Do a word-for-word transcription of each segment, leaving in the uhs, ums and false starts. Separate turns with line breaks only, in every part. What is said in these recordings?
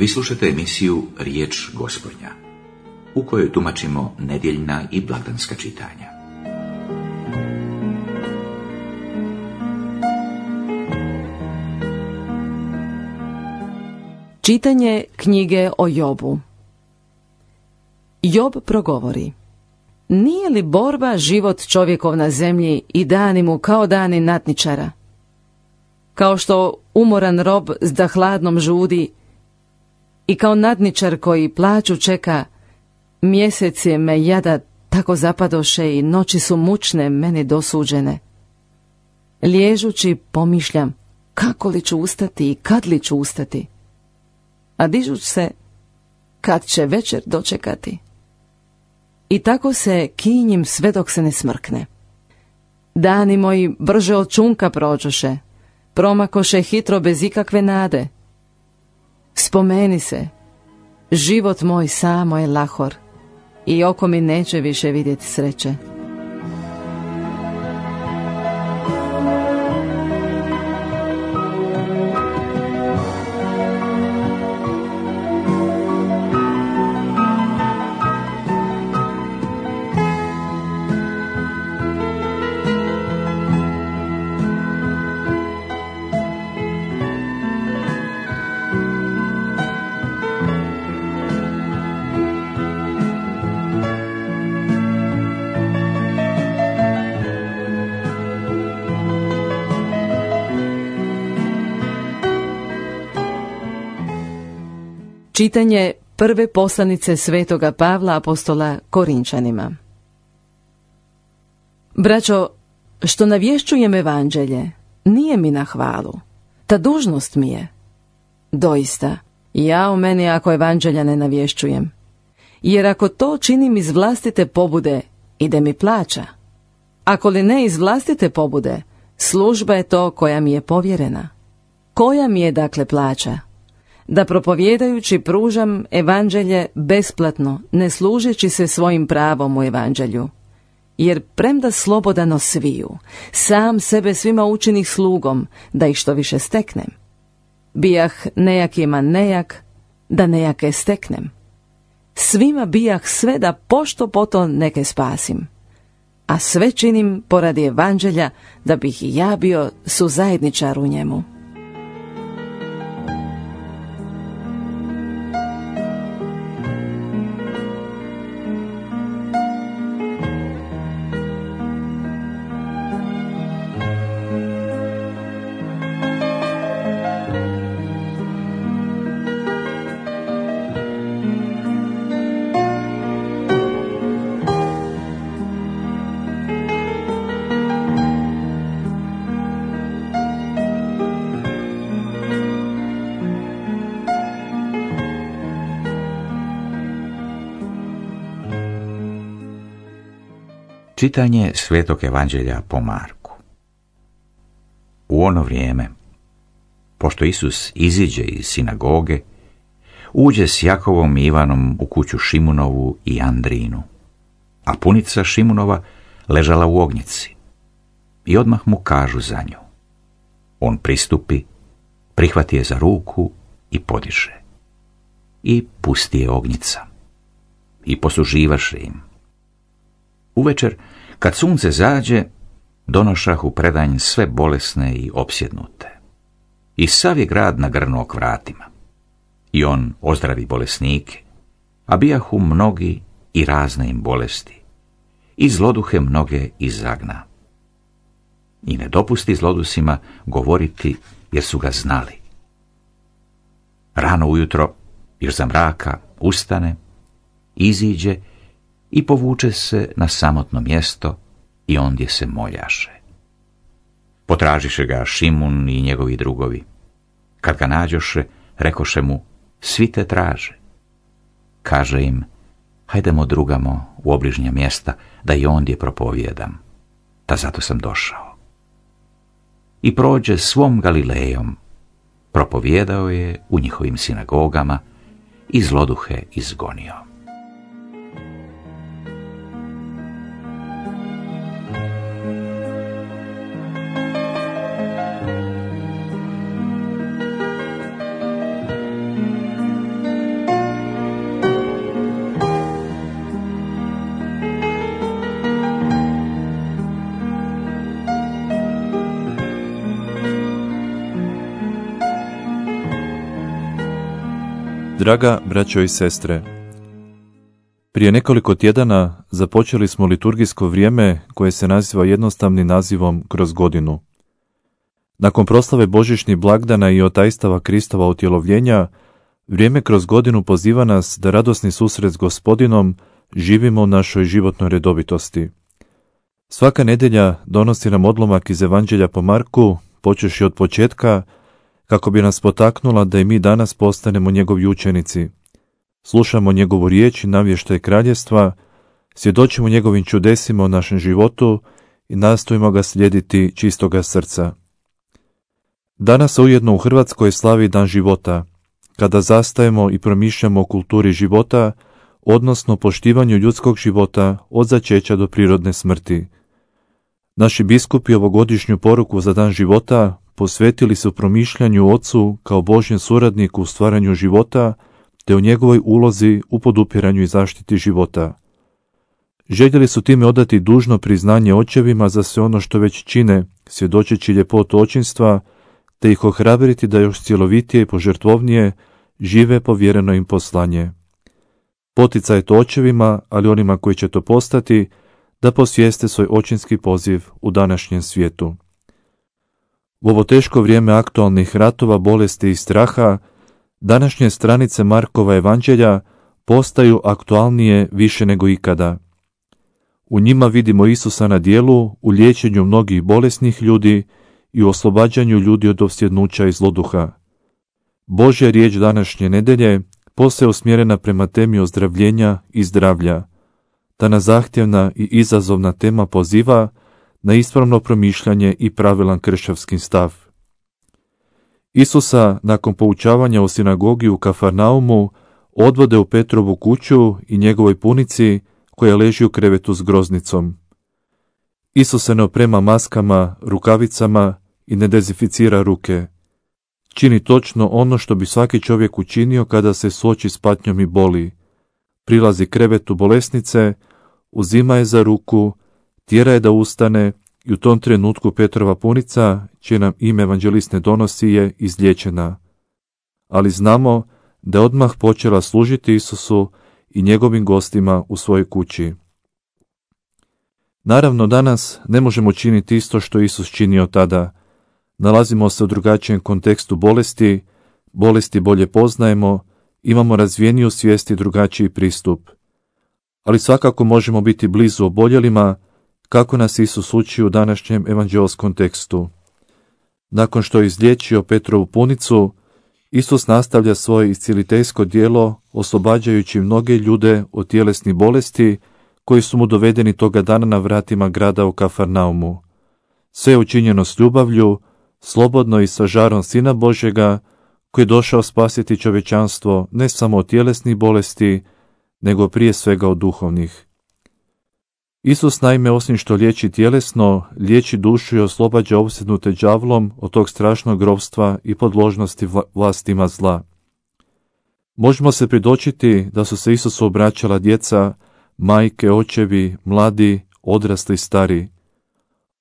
Vi slušate emisiju Riječ Gospodnja, u kojoj tumačimo nedjeljna i blagdanska čitanja.
Čitanje knjige o Jobu. Job progovori: nije li borba život čovjekov na zemlji i dani mu kao dani natničara? Kao što umoran rob zda hladnom žudi i kao nadničar koji plaću čeka, mjesec je me jada tako zapadoše i noći su mučne meni dosuđene. Liježući pomišljam kako li ću ustati i kad li ću ustati, a dižuć se kad će večer dočekati. I tako se kinjim sve dok se ne smrkne. Dani moji brže od čunka prođoše, promakoše hitro bez ikakve nade. Spomeni se, život moj samo je lahor i oko mi neće više vidjeti sreće. Čitanje prve poslanice svetoga Pavla apostola Korinčanima. Braćo, što navješćujem evanđelje, nije mi na hvalu, ta dužnost mi je. Doista, ja o meni ako evanđelja ne navješćujem, jer ako to činim iz vlastite pobude, ide mi plaća. Ako li ne iz vlastite pobude, služba je to koja mi je povjerena. Koja mi je dakle plaća? Da propovjedajući pružam evanđelje besplatno, ne služeći se svojim pravom u evanđelju. Jer premda slobodano sviju, sam sebe svima učinih slugom, da ih što više steknem. Bijah nejakima nejak, da nejake steknem. Svima bijah sve da pošto poto neke spasim. A sve činim poradi evanđelja, da bih i ja bio suzajedničar u njemu.
Čitanje Svetog evanđelja po Marku. U ono vrijeme, pošto Isus iziđe iz sinagoge, uđe s Jakovom i Ivanom u kuću Šimunovu i Andrinu, a punica Šimunova ležala u ognjici. I odmah mu kažu za nju. On pristupi, prihvati je za ruku i podiže. I pusti je ognjica. I posluživaše im. Uvečer, kad sunce zađe, donošah u predanj sve bolesne i opsjednute. I sav je grad nagrnuo k vratima. I on ozdravi bolesnike, a bijahu mnogi i razne im bolesti. I zloduhe mnoge izagna. I ne dopusti zlodusima govoriti, jer su ga znali. Rano ujutro, još za mraka, ustane, iziđe i povuče se na samotno mjesto i ondje se moljaše. Potražiše ga Šimun i njegovi drugovi. Kad ga nađoše, rekoše mu, svi te traže. Kaže im, hajdemo drugamo u obližnja mjesta, da i ondje propovijedam. Ta zato sam došao. I prođe svom Galilejom, propovijedao je u njihovim sinagogama i zloduhe izgonio.
Draga braćo i sestre, prije nekoliko tjedana započeli smo liturgijsko vrijeme koje se naziva jednostavnim nazivom kroz godinu. Nakon proslave božićnih blagdana i otajstava Kristova utjelovljenja, vrijeme kroz godinu poziva nas da radosni susret s Gospodinom živimo u našoj životnoj redovitosti. Svaka nedjelja donosi nam odlomak iz Evanđelja po Marku, počevši od početka, kako bi nas potaknula da i mi danas postanemo njegovi učenici. Slušamo njegovu riječ i navještaj kraljestva, svjedočimo njegovim čudesima u našem životu i nastojimo ga slijediti čistoga srca. Danas ujedno u Hrvatskoj slavi Dan života, kada zastajemo i promišljamo o kulturi života, odnosno poštivanju ljudskog života od začeća do prirodne smrti. Naši biskupi ovogodišnju poruku za Dan života posvetili su promišljanju Ocu kao Božjem suradniku u stvaranju života, te o njegovoj ulozi u podupiranju i zaštiti života. Željeli su time odati dužno priznanje očevima za sve ono što već čine, svjedočeći ljepotu očinstva, te ih ohrabriti da još cjelovitije i požrtvovnije žive povjereno im poslanje. Poticaj je to očevima, ali onima koji će to postati, da posvijeste svoj očinski poziv u današnjem svijetu. U ovo teško vrijeme aktualnih ratova, bolesti i straha, današnje stranice Markova evanđelja postaju aktualnije više nego ikada. U njima vidimo Isusa na djelu u liječenju mnogih bolesnih ljudi i u oslobađanju ljudi od opsjednuća i zloduha. Božja riječ današnje nedjelje posve je usmjerena prema temi ozdravljenja i zdravlja. Ta nas zahtjevna i izazovna tema poziva na ispravno promišljanje i pravilan kršćanski stav. Isusa, nakon poučavanja u sinagogi u Kafarnaumu, odvode u Petrovu kuću i njegovoj punici koja leži u krevetu s groznicom. Isus se ne oprema maskama, rukavicama i ne dezinficira ruke. Čini točno ono što bi svaki čovjek učinio kada se suoči s patnjom i boli. Prilazi krevetu bolesnice, uzima je za ruku, tjera je da ustane i u tom trenutku Petrova punica, čije nam ime evanđelist ne donosi, je izliječena. Ali znamo da je odmah počela služiti Isusu i njegovim gostima u svojoj kući. Naravno, danas ne možemo činiti isto što Isus činio tada. Nalazimo se u drugačijem kontekstu bolesti, bolesti bolje poznajemo, imamo razvijeniju svijest i drugačiji pristup. Ali svakako možemo biti blizu oboljelima, kako nas Isus uči u današnjem evanđelskom tekstu. Nakon što je izliječio Petrovu punicu, Isus nastavlja svoje iscjeliteljsko djelo, oslobađajući mnoge ljude od tjelesnih bolesti koji su mu dovedeni toga dana na vratima grada u Kafarnaumu. Sve je učinjeno s ljubavlju, slobodno i sa žarom Sina Božjega, koji je došao spasiti čovječanstvo ne samo od tjelesnih bolesti, nego prije svega od duhovnih. Isus naime osim što liječi tjelesno, liječi dušu i oslobađa opsjednute đavlom od tog strašnog ropstva i podložnosti vlastima zla. Možemo se pridočiti da su se Isusu obraćala djeca, majke, očevi, mladi, odrasli, stari.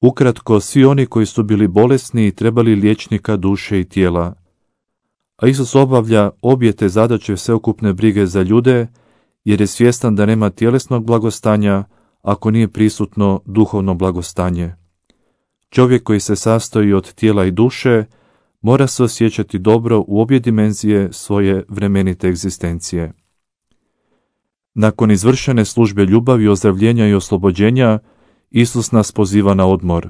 Ukratko, svi oni koji su bili bolesni i trebali liječnika duše i tijela. A Isus obavlja obje te zadaće sveukupne brige za ljude, jer je svjestan da nema tjelesnog blagostanja ako nije prisutno duhovno blagostanje. Čovjek koji se sastoji od tijela i duše mora se osjećati dobro u obje dimenzije svoje vremenite egzistencije. Nakon izvršene službe ljubavi, ozdravljenja i oslobođenja, Isus nas poziva na odmor.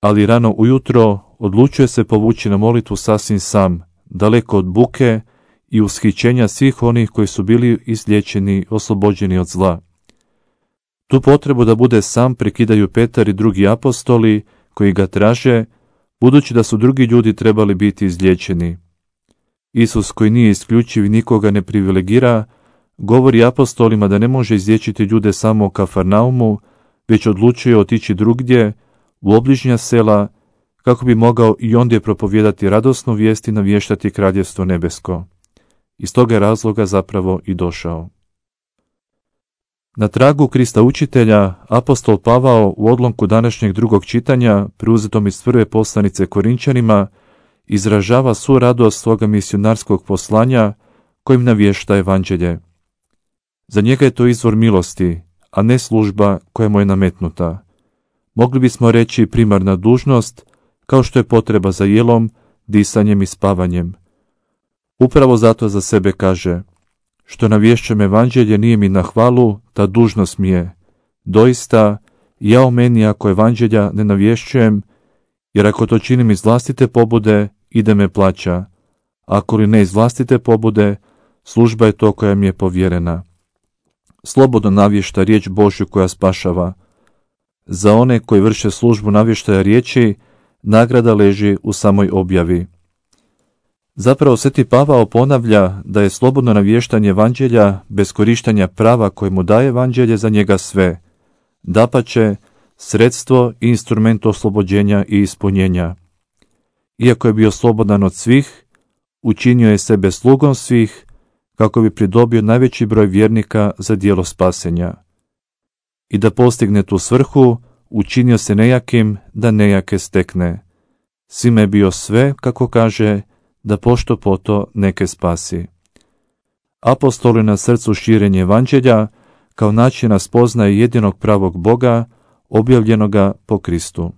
Ali rano ujutro odlučuje se povući na molitvu sasvim sam, daleko od buke i ushićenja svih onih koji su bili izliječeni, oslobođeni od zla. Tu potrebu da bude sam prekidaju Petar i drugi apostoli koji ga traže, budući da su drugi ljudi trebali biti izliječeni. Isus, koji nije isključiv i nikoga ne privilegira, govori apostolima da ne može izliječiti ljude samo u Kafarnaumu, već odlučuje otići drugdje, u obližnja sela, kako bi mogao i ondje propovijedati radosnu vijest i navještati kraljevstvo nebesko. Iz toga razloga zapravo i došao. Na tragu Krista učitelja, apostol Pavao u odlomku današnjeg drugog čitanja, preuzetom iz prve poslanice Korinčanima, izražava svu radost svoga misionarskog poslanja, kojim navješta evanđelje. Za njega je to izvor milosti, a ne služba koja mu je nametnuta. Mogli bismo reći primarna dužnost, kao što je potreba za jelom, disanjem i spavanjem. Upravo zato za sebe kaže: što navješćam evanđelje nije mi na hvalu, ta dužnost mi je. Doista, ja o meni ako evanđelja ne navješćujem, jer ako to činim iz vlastite pobude, ide me plaća. Ako li ne iz vlastite pobude, služba je to koja mi je povjerena. Slobodno navješta riječ Božju koja spašava. Za one koji vrše službu navještaja riječi, nagrada leži u samoj objavi. Zapravo Sveti Pavao ponavlja da je slobodno navještanje evanđelja bez korištenja prava koje mu daje evanđelje za njega sve. Dapače, sredstvo i instrument oslobođenja i ispunjenja. Iako je bio slobodan od svih, učinio je sebe slugom svih, kako bi pridobio najveći broj vjernika za djelo spasenja. I da postigne tu svrhu, učinio se nejakim da nejake stekne. Svima je bio sve, kako kaže, da pošto poto neke spasi. Apostol je na srcu širenje evanđelja kao načina spoznaje jedinog pravog Boga, objavljenoga po Kristu.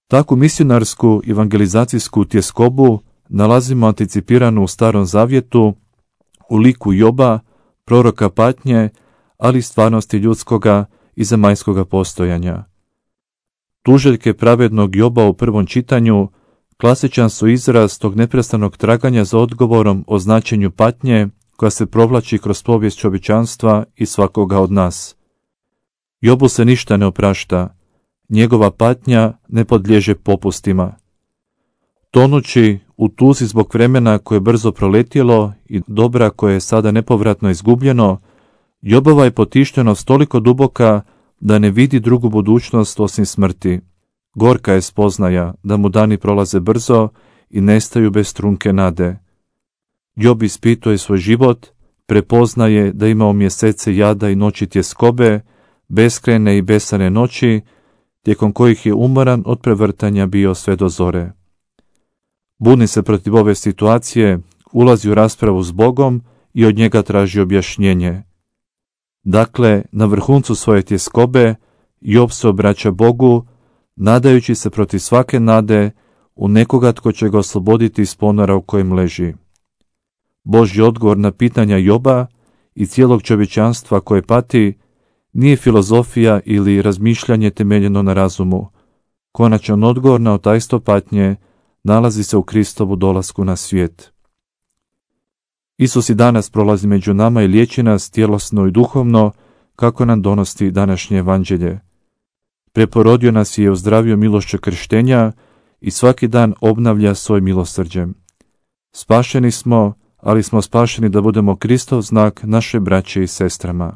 Takvu misionarsku evangelizacijsku tjeskobu nalazimo anticipiranu u Starom Zavjetu u liku Joba, proroka patnje, ali i stvarnosti ljudskoga i zemaljskoga postojanja. Tuželjke pravednog Joba u prvom čitanju klasičan su izraz tog neprestanog traganja za odgovorom o značenju patnje koja se provlači kroz povijest čovječanstva i svakoga od nas. Jobu se ništa ne oprašta, njegova patnja ne podliježe popustima. Tonući u tuzi zbog vremena koje je brzo proletjelo i dobra koje je sada nepovratno izgubljeno, Jobova je potištenost toliko duboka da ne vidi drugu budućnost osim smrti. Gorka je spoznaja da mu dani prolaze brzo i nestaju bez trunke nade. Job ispituje svoj život, prepoznaje da imao mjesece jada i noći tjeskobe, beskrajne i besane noći, tijekom kojih je umoran od prevrtanja bio sve do zore. Buni se protiv ove situacije, ulazi u raspravu s Bogom i od njega traži objašnjenje. Dakle, na vrhuncu svoje tjeskobe, Job se obraća Bogu, nadajući se protiv svake nade u nekoga tko će ga osloboditi iz ponora u kojem leži. Božji odgovor na pitanja Joba i cijelog čovječanstva koje pati nije filozofija ili razmišljanje temeljeno na razumu. Konačan odgovor na otajstvo patnje nalazi se u Kristovu dolasku na svijet. Isus i danas prolazi među nama i liječi nas tjelesno i duhovno, kako nam donosi današnje evanđelje. Preporodio nas je i ozdravio milošću krštenja i svaki dan obnavlja svoj milosrđem. Spašeni smo, ali smo spašeni da budemo Kristov znak naše braće i sestrama.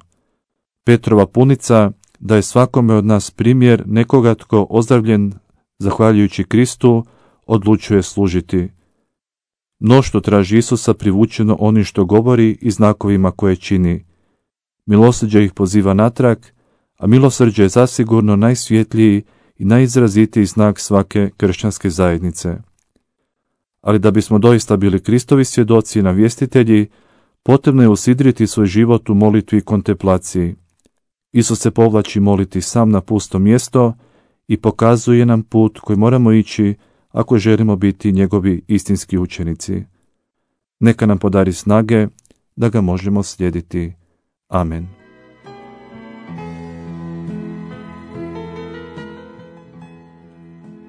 Petrova punica da je svakome od nas primjer nekoga tko ozdravljen zahvaljujući Kristu odlučuje služiti. Mnoštvo traži Isusa privučeno onim što govori i znakovima koje čini. Milosrđe ih poziva natrag, a milosrđe je zasigurno najsvjetliji i najizrazitiji znak svake kršćanske zajednice. Ali da bismo doista bili Kristovi svjedoci i navjestitelji, potrebno je usidriti svoj život u molitvi i kontemplaciji. Isus se povlači moliti sam na pusto mjesto i pokazuje nam put koji moramo ići ako želimo biti njegovi istinski učenici. Neka nam podari snage da ga možemo slijediti. Amen.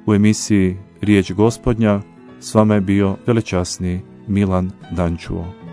U emisiji Riječ Gospodnja s vama je bio velečasni Milan Dančuo.